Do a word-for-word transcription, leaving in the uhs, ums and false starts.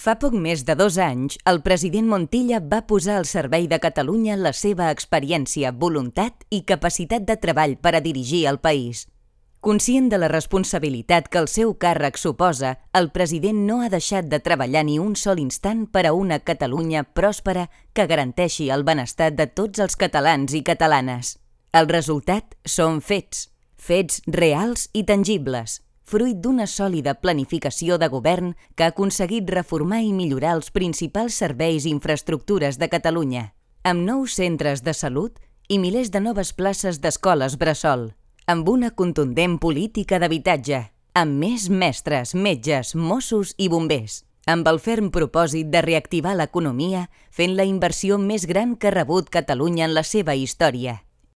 Fa poc més de dos anys, el president Montilla va posar al servei de Catalunya la seva experiència, voluntat i capacitat de treball per a dirigir el país. Conscient de la responsabilitat que el seu càrrec suposa, el president no ha deixat de treballar ni un sol instant per a una Catalunya pròspera que garanteixi el benestar de tots els catalans i catalanes. El resultat són fets, fets reals i tangibles, fruit d'una sòlida planificació de govern que ha aconseguit reformar i millorar els principals serveis i infraestructures de Catalunya, amb nous centres de salut i milers de noves places d'escoles bressol, amb una contundent política d'habitatge, amb més mestres, metges, Mossos i bombers, amb el ferm propòsit de reactivar l'economia fent la inversió més gran que ha rebut Catalunya en la seva història.